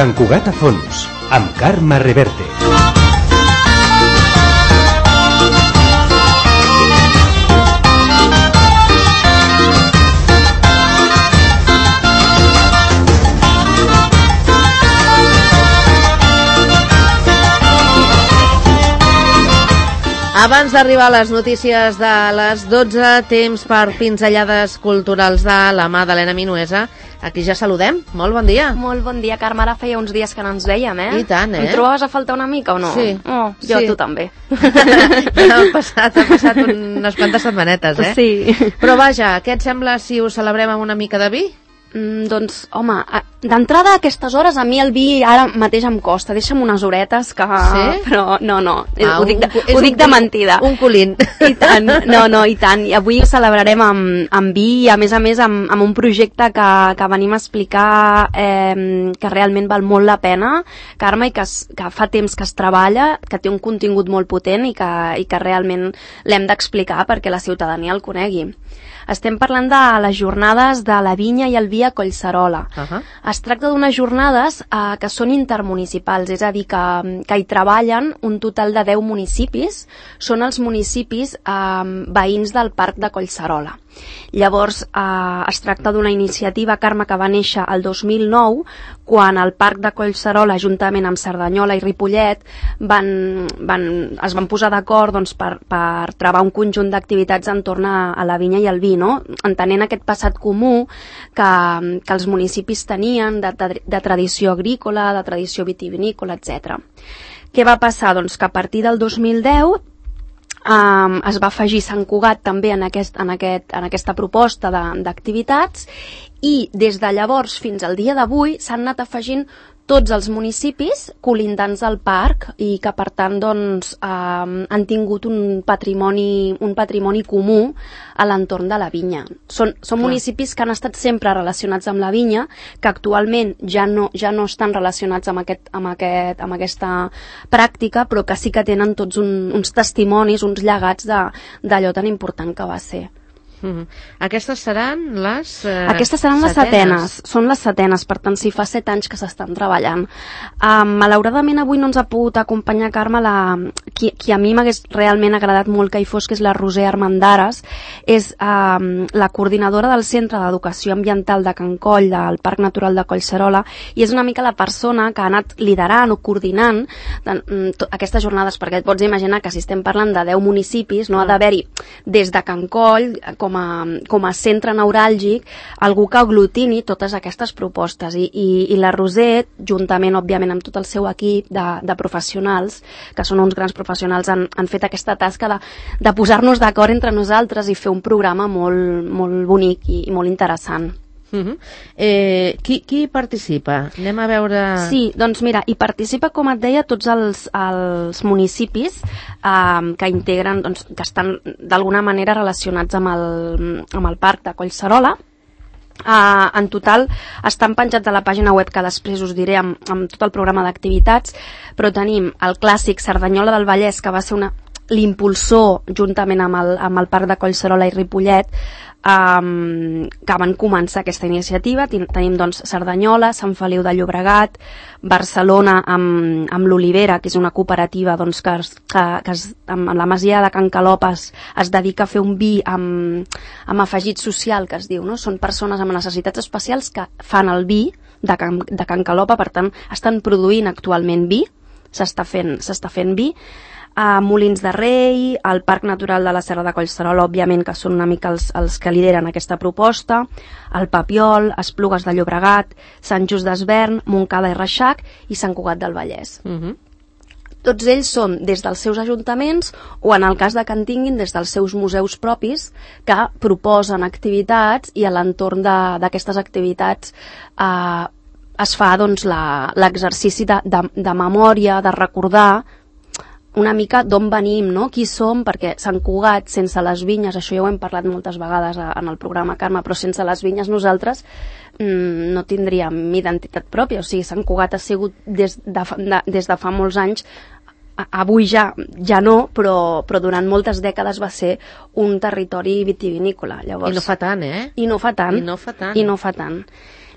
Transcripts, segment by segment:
Sant Cugat a fons, amb Carme Reverte. Abans d'arribar a les notícies de les 12, temps per pinzellades culturals de la mà d'Helena Minuesa. Aquí ja saludem. Molt bon dia. Molt bon dia, Carme. Ara feia uns dies que no ens veiem, I tant, Em trobaves a faltar una mica o no? Sí. Oh, jo sí. tu també. Ha passat unes quantes setmanetes, Sí. Però vaja, què et sembla si ho celebrem amb una mica de vi? Doncs, home, d'entrada a aquestes hores a mi el vi ara mateix em costa. Deixa'm unes horetes que... Sí? Però no. Ho dic de mentida. Un colín. I tant, no, i tant. I avui ho celebrarem amb vi i a més amb un projecte que venim a explicar que realment val molt la pena, Carme, i que fa temps que es treballa, que té un contingut molt potent i que realment l'hem d'explicar perquè la ciutadania el conegui. Estem parlant de les jornades de la vinya i el vi a Collserola. Es tracta d'unes jornades que són intermunicipals, és a dir, que hi treballen un total de 10 municipis, són els municipis veïns del Parc de Collserola. Llavors, es tracta d'una iniciativa, Carme, que va néixer el 2009, quan el Parc de Collserola, juntament amb Cerdanyola i Ripollet, es van posar d'acord per treballar un conjunt d'activitats entorn a la vinya i el vi, no? Entenent aquest passat comú que els municipis tenien de tradició agrícola, de tradició vitivinícola, etc. Què va passar? Doncs que a partir del 2010 es va afegir Sant Cugat també en aquesta proposta d'activitats i des de llavors fins al dia d'avui s'han anat afegint tots els municipis colindants al parc i que per tant han tingut un patrimoni comú a l'entorn de la vinya. Són municipis que han estat sempre relacionats amb la vinya, que actualment ja no estan relacionats amb aquesta pràctica, però que sí que tenen tots uns testimonis, uns llegats d'allò tan important que va ser. Aquestes seran les Aquestes seran les setenes. Són les setenes, per tant, si fa 7 anys que s'estan treballant. Malauradament avui no ens ha pogut acompanyar, Carme, qui a mi m'hagués realment agradat molt que hi fos, que és la Roser Armendares. És la coordinadora del Centre d'Educació Ambiental de Can Coll, del Parc Natural de Collserola, i és una mica la persona que ha anat liderant o coordinant aquestes jornades, perquè et pots imaginar que si estem parlant de 10 municipis, no ha d'haver-hi des de Can Coll, com a centre neuràlgic, algú que aglutini totes aquestes propostes. I la Roser, juntament, òbviament, amb tot el seu equip de professionals, que són uns grans professionals, han fet aquesta tasca de posar-nos d'acord entre nosaltres i fer un programa molt, molt bonic i molt interessant. Qui participa? Anem a veure... Sí, doncs mira, hi participa, com et deia, tots els municipis que integren, que estan d'alguna manera relacionats amb el Parc de Collserola. En total estan penjats a la pàgina web, que després us diré amb tot el programa d'activitats, però tenim el clàssic Cerdanyola del Vallès, que va ser l'impulsor, juntament amb el Parc de Collserola i Ripollet, que van començar aquesta iniciativa. Tenim Cerdanyola, Sant Feliu de Llobregat, Barcelona amb l'Olivera, que és una cooperativa que amb la masia de Can Calopes es dedica a fer un vi amb afegit social, que es diu, no? Són persones amb necessitats especials que fan el vi de Can Calopa, per tant estan produint actualment vi, s'està fent vi. Molins de Rei, el Parc Natural de la Serra de Collserola, òbviament, que són una mica els que lideren aquesta proposta, el Papiol, Esplugues de Llobregat, Sant Just d'Esvern, Montcada i Reixac i Sant Cugat del Vallès. Tots ells són des dels seus ajuntaments o, en el cas de que en tinguin, des dels seus museus propis, que proposen activitats, i a l'entorn d'aquestes activitats es fa l'exercici de memòria, de recordar una mica d'on venim, no? Qui som, perquè Sant Cugat, sense les vinyes, això ja ho hem parlat moltes vegades en el programa, Carme, però sense les vinyes nosaltres no tindríem identitat pròpia. O sigui, Sant Cugat ha sigut des de fa molts anys, avui ja no, però durant moltes dècades va ser un territori vitivinícola. Llavors, I no fa tant, I no fa tant.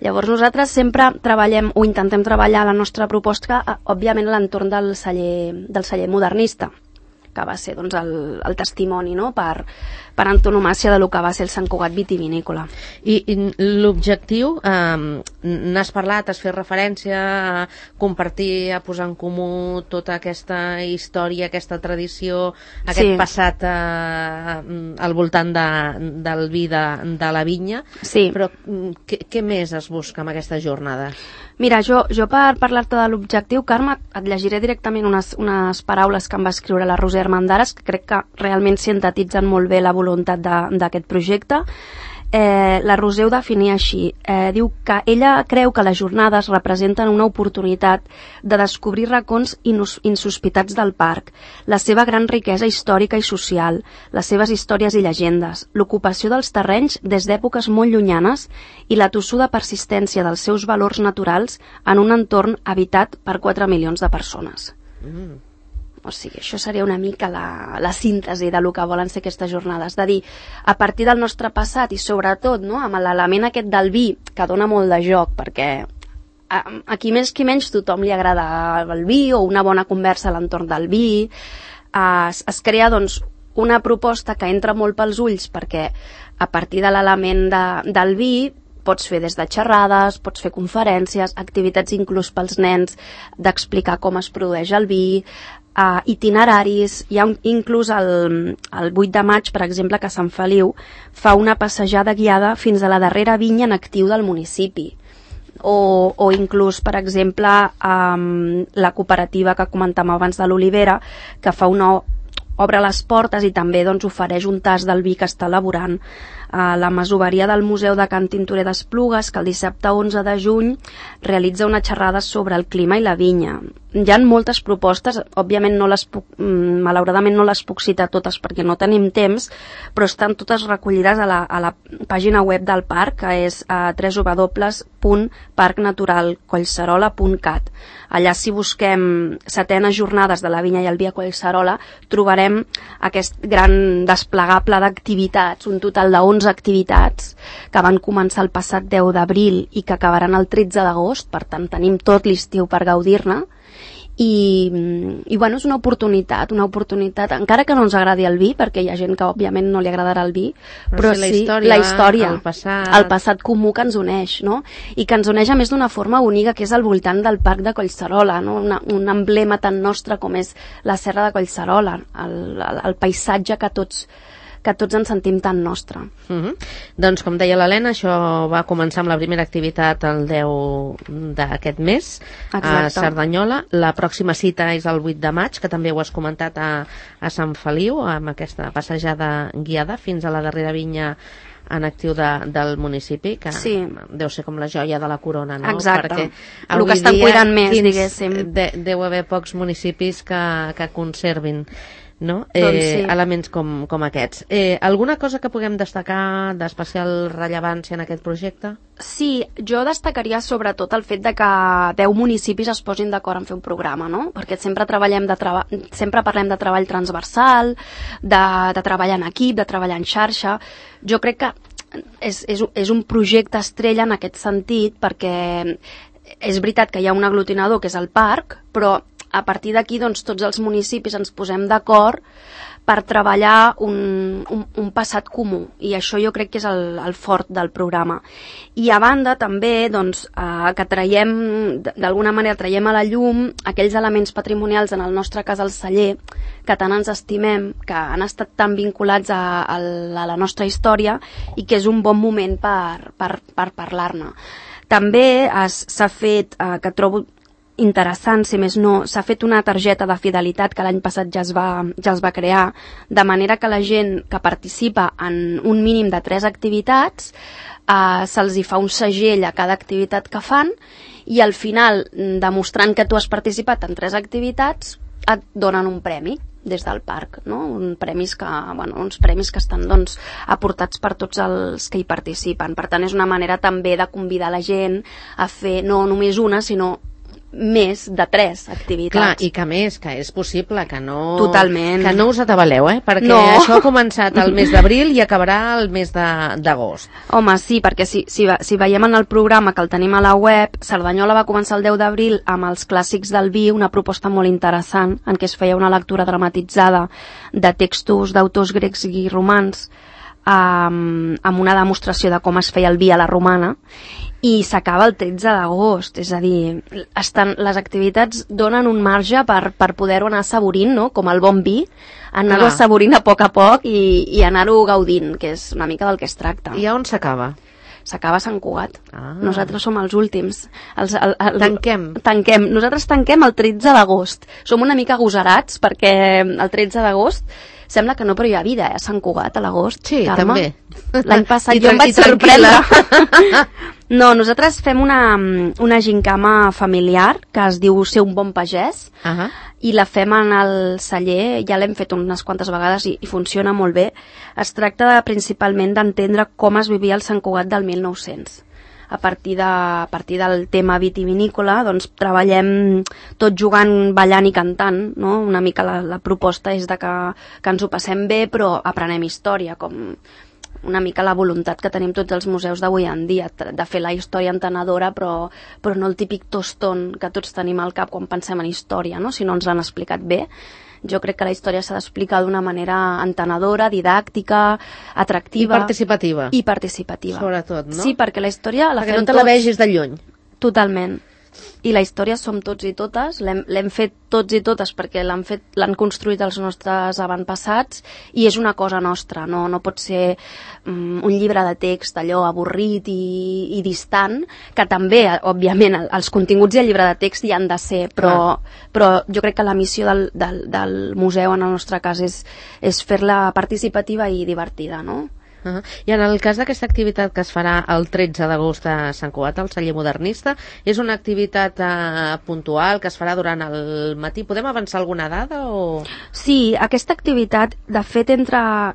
Llavors nosaltres sempre treballem o intentem treballar la nostra proposta, òbviament, a l'entorn del celler modernista, que va ser doncs, el testimoni, no? per antonomàcia del que va ser el Sant Cugat vitivinícola. I l'objectiu, n'has parlat, has fet referència a compartir, a posar en comú tota aquesta història, aquesta tradició, aquest passat al voltant del vi de la vinya, però què més es busca amb aquesta jornada? Mira, jo per parlar-te de l'objectiu, Carme, et llegiré directament unes paraules que em va escriure la Roser Armendares, que crec que realment sintetitzen molt bé la voluntat d'aquest projecte. La Roser ho definia així. Diu que ella creu que les jornades representen una oportunitat de descobrir racons insospitats del parc, la seva gran riquesa històrica i social, les seves històries i llegendes, l'ocupació dels terrenys des d'èpoques molt llunyanes i la tossuda persistència dels seus valors naturals en un entorn habitat per 4 milions de persones. O sigui, això seria una mica la síntesi de lo que volen ser aquestes jornades, de dir, a partir del nostre passat i sobretot, no, amb l'element aquest del vi, que dona molt de joc, perquè a qui més qui menys tothom li agrada el vi o una bona conversa a l'entorn del vi, es crea doncs una proposta que entra molt pels ulls, perquè a partir de l'element del vi pots fer des de xerrades, pots fer conferències, activitats inclús pels nens d'explicar com es produeix el vi, itineraris. Hi ha inclús el 8 de maig, per exemple, que Sant Feliu fa una passejada guiada fins a la darrera vinya en actiu del municipi. O inclús, per exemple, la cooperativa que comentàvem abans de l'Olivera, que obre les portes i també doncs, ofereix un tast del vi que està elaborant. La masoveria del Museu de Can Tintorer d'Esplugues, que el dissabte 11 de juny realitza una xerrada sobre el clima i la vinya. Hi ha moltes propostes, òbviament malauradament no les puc citar totes perquè no tenim temps, però estan totes recollides a la pàgina web del parc, que és www.parcnaturalcollserola.cat. Allà, si busquem 7enes jornades de la vinya i el vi a Collserola, trobarem aquest gran desplegable d'activitats, un total de 11 activitats que van començar el passat 10 d'abril i que acabaran el 13 d'agost, per tant tenim tot l'estiu per gaudir-ne. I bueno, és una oportunitat, encara que no ens agradi el vi, perquè hi ha gent que òbviament no li agradarà el vi, però sí la història, el passat comú que ens uneix, no? I que ens uneix a més d'una forma única, que és al voltant del parc de Collserola, no? Un emblema tan nostre com és la serra de Collserola, el paisatge que tots ens sentim tan nostre. Doncs, com deia l'Helena, això va començar amb la primera activitat el 10 d'aquest mes. Exacte. A Cerdanyola. La pròxima cita és el 8 de maig, que també ho has comentat a Sant Feliu, amb aquesta passejada guiada fins a la darrera vinya en actiu del municipi, que deu ser com la joia de la corona, no? Exacte, el que estan cuidant més, diguéssim. Deu haver pocs municipis que conservin, no? Elements com aquests. Alguna cosa que puguem destacar d'especial rellevància en aquest projecte? Sí, jo destacaria sobretot el fet de que 10 municipis es posin d'acord en fer un programa, no? Perquè sempre parlem de treball transversal, de treballar en equip, de treballar en xarxa. Jo crec que és un projecte estrella en aquest sentit, perquè és veritat que hi ha un aglutinador que és el parc, però a partir d'aquí doncs, tots els municipis ens posem d'acord per treballar un passat comú, i això jo crec que és el fort del programa. I a banda també doncs, que d'alguna manera traiem a la llum aquells elements patrimonials, en el nostre cas el celler, que tant ens estimem, que han estat tan vinculats a la nostra història, i que és un bon moment per parlar-ne. També s'ha fet, que trobo interessant, si més no, s'ha fet una targeta de fidelitat que l'any passat ja es va crear, de manera que la gent que participa en un mínim de 3 activitats se'ls hi fa un segell a cada activitat que fan, i al final, demostrant que tu has participat en 3 activitats, et donen un premi des del parc, no? Uns premis que estan doncs, aportats per tots els que hi participen. Per tant, és una manera també de convidar la gent a fer no només una, sinó més de 3 activitats. Clar, i que més, que és possible, que no... Totalment. Que no us atabaleu, perquè això ha començat el mes d'abril i acabarà el mes d'agost. Home, sí, perquè si veiem en el programa que el tenim a la web, Cerdanyola va començar el 10 d'abril amb els clàssics del vi, una proposta molt interessant, en què es feia una lectura dramatitzada de textos d'autors grecs i romans, amb una demostració de com es feia el vi a la romana, i s'acaba el 13 d'agost, és a dir, les activitats donen un marge per poder-ho anar assaborint, no? Com el bon vi, anar-ho assaborint a poc i anar-ho gaudint, que és una mica del que es tracta. I on s'acaba? S'acaba a Sant Cugat. Nosaltres som els últims. Tanquem. Nosaltres tanquem el 13 d'agost. Som una mica agosarats perquè el 13 d'agost sembla que no, però hi ha vida, a Sant Cugat, a l'agost. Sí, Carme. també. L'any passat jo em vaig sorprendre. No, nosaltres fem una gincama familiar que es diu Ser un bon pagès, i la fem en el celler, ja l'hem fet unes quantes vegades i funciona molt bé. Es tracta principalment d'entendre com es vivia el Sant Cugat del 1900. A partir del tema vitivinícola, doncs treballem tot jugant, ballant i cantant, no? Una mica la proposta és de que ens ho passem bé, però aprenem història, com una mica la voluntat que tenim tots els museus d'avui en dia, de fer la història entenedora, però no el típic tostón que tots tenim al cap quan pensem en història, no? Si no ens l'han explicat bé. Jo crec que la història s'ha d'explicar d'una manera entenedora, didàctica, atractiva... I participativa. Sobretot, no? Sí, perquè la història la fem tots... Perquè no te la vegis de lluny. Totalment. I la història som tots i totes, l'hem fet tots i totes perquè l'han construït els nostres avantpassats i és una cosa nostra, no pot ser un llibre de text allò avorrit i distant, que també, òbviament, els continguts del llibre de text hi han de ser, però jo crec que la missió del museu, en el nostre cas, és fer-la participativa i divertida, no? I en el cas d'aquesta activitat que es farà el 13 d'agost a Sant Cugat, al celler modernista, és una activitat puntual que es farà durant el matí? Podem avançar alguna dada? Sí, aquesta activitat de fet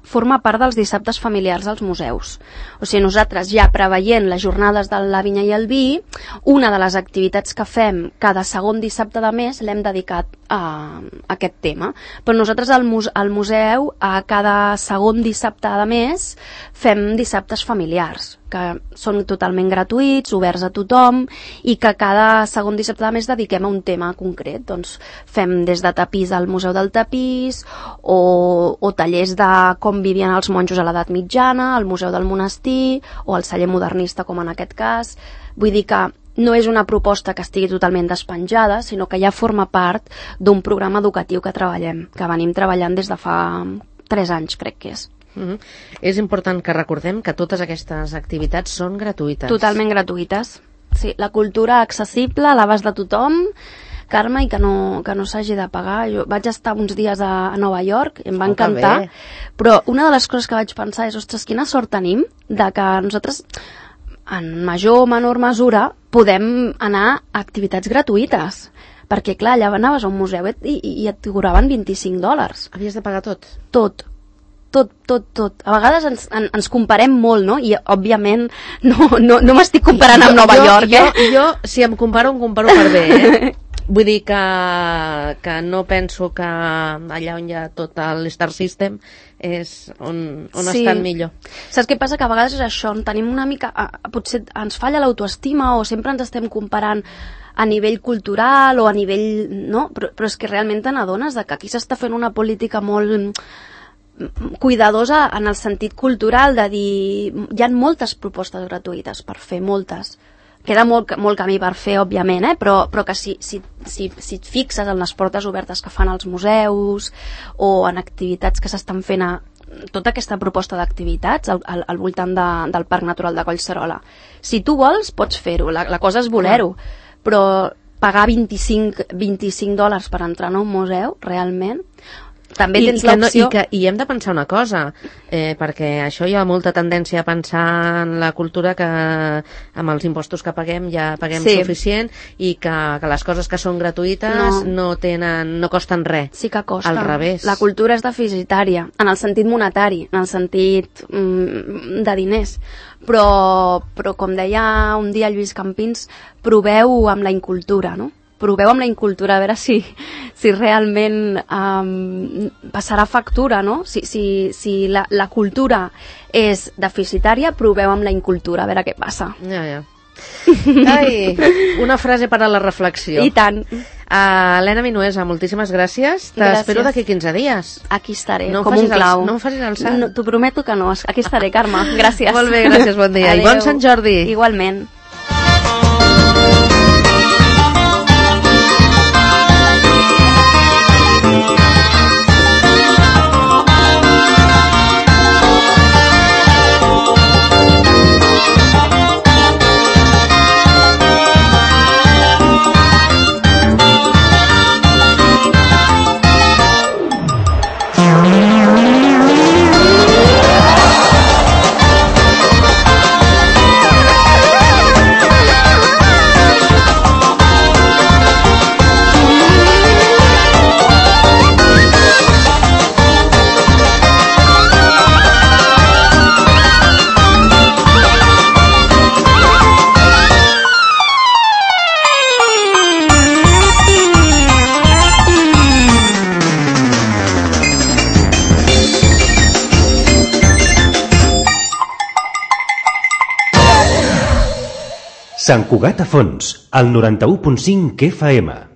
forma part dels dissabtes familiars als museus. O sigui, nosaltres ja preveient les jornades de la vinya i el vi, una de les activitats que fem cada segon dissabte de mes l'hem dedicat a aquest tema. Però nosaltres al museu a cada segon dissabte de mes fem dissabtes familiars, que són totalment gratuïts, oberts a tothom, i que cada segon dissabte de mes dediquem a un tema concret. Doncs fem des de tapís al Museu del Tapís, o tallers de com vivien els monjos a l'edat mitjana, al Museu del Monestir, o al celler modernista, com en aquest cas. Vull dir que no és una proposta que estigui totalment despenjada, sinó que ja forma part d'un programa educatiu que treballem, que venim treballant des de fa 3 anys, crec que és. És important que recordem que totes aquestes activitats són gratuïtes. Totalment gratuïtes. Sí, la cultura accessible, a l'abast de tothom, Carme, i que no s'hagi de pagar. Jo vaig estar uns dies a Nova York, em va encantar, però una de les coses que vaig pensar és, ostres, quina sort tenim de que nosaltres, en major o menor mesura, podem anar a activitats gratuïtes. Perquè, clar, allà anaves a un museu i et cobraven $25. Havies de pagar tot? Tot. A vegades ens comparem molt, no? I, òbviament, no m'estic comparant amb Nova York, Jo, si em comparo per bé, Vull dir que no penso que allà on hi ha tot l'Star System és on estan millor. Saps què passa? Que a vegades és això, tenim una mica... Potser ens falla l'autoestima o sempre ens estem comparant a nivell cultural o a nivell... No? Però és que realment te n'adones que aquí s'està fent una política molt cuidadosa en el sentit cultural de dir... Hi ha moltes propostes gratuïtes per fer, moltes. Queda molt camí per fer, òbviament, però que si et fixes en les portes obertes que fan els museus o en activitats que s'estan fent tota aquesta proposta d'activitats al voltant del Parc Natural de Collserola. Si tu vols, pots fer-ho, la cosa és voler-ho, però pagar $25 per entrar en un museu, realment... També tens l'opció... I hem de pensar una cosa, perquè això hi ha molta tendència a pensar en la cultura que amb els impostos que paguem ja paguem suficient i que les coses que són gratuïtes no costen res. Sí que costa. Al revés. La cultura és deficitària, en el sentit monetari, en el sentit de diners. Però com deia un dia Lluís Campins, proveu amb la incultura, no? proveu amb la incultura, a veure si realment passarà factura, no? Si la cultura és deficitària, proveu amb la incultura, a veure què passa. Ja. Ai, una frase per a la reflexió. I tant. Helena Minuesa, moltíssimes gràcies. T'espero d'aquí 15 dies. Aquí estaré, com un clau. No em facis el sant. T'ho prometo que no. Aquí estaré, Carme. Gràcies. Molt bé, gràcies, bon dia. Adeu. I bon Sant Jordi. Igualment. Sant Cugat a Fons, al 91.5 FM.